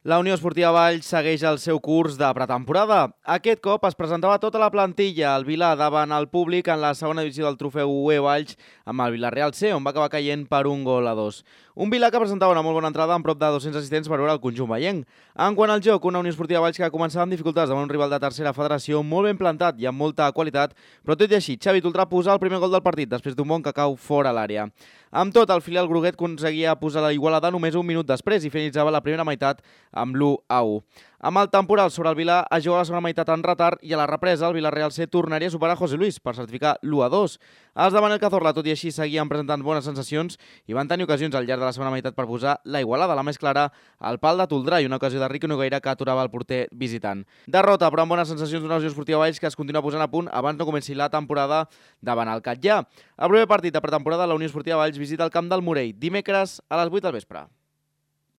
La Unió Esportiva Valls segueix el seu curs de pretemporada. Aquest cop es presentava tota la plantilla al Vilà davant el públic en la segona divisió del trofeu UE Valls amb el Villarreal C, on va acabar caient per 1-2. Un Vilà que presentava una molt bona entrada amb prop de 200 assistents per veure el conjunt veienc. En quant al joc, una Unió Esportiva Valls que començava amb dificultats davant un rival de tercera federació molt ben plantat i amb molta qualitat, però tot i així, Xavi Toltrà posa el primer gol del partit després d'un bon que cau fora l'àrea. Amb tot, el filial groguet aconseguia posar la igualada només un minut després i finalitzava la primera meitat amb l'1-1. Amb el temporal sobre el Vilà es juga la segona meitat en retard i a la represa el Villarreal C tornaria a superar José Luis per certificar l'1-2. Els de Manel Cazorla, tot i així, seguien presentant bones sensacions i van tenir ocasions al llarg de la segona meitat per posar la igualada, la més clara, al pal de Toldrà i una ocasió de Riqui Nogueira que aturava el porter visitant. Derrota, però amb bones sensacions d'una Unió Esportiva Valls que es continua posant a punt abans no comenci la temporada davant el Catllà. El primer partit de pretemporada, la Unió Esportiva Valls visita el camp del Morell dimecres a les 8 del vespre.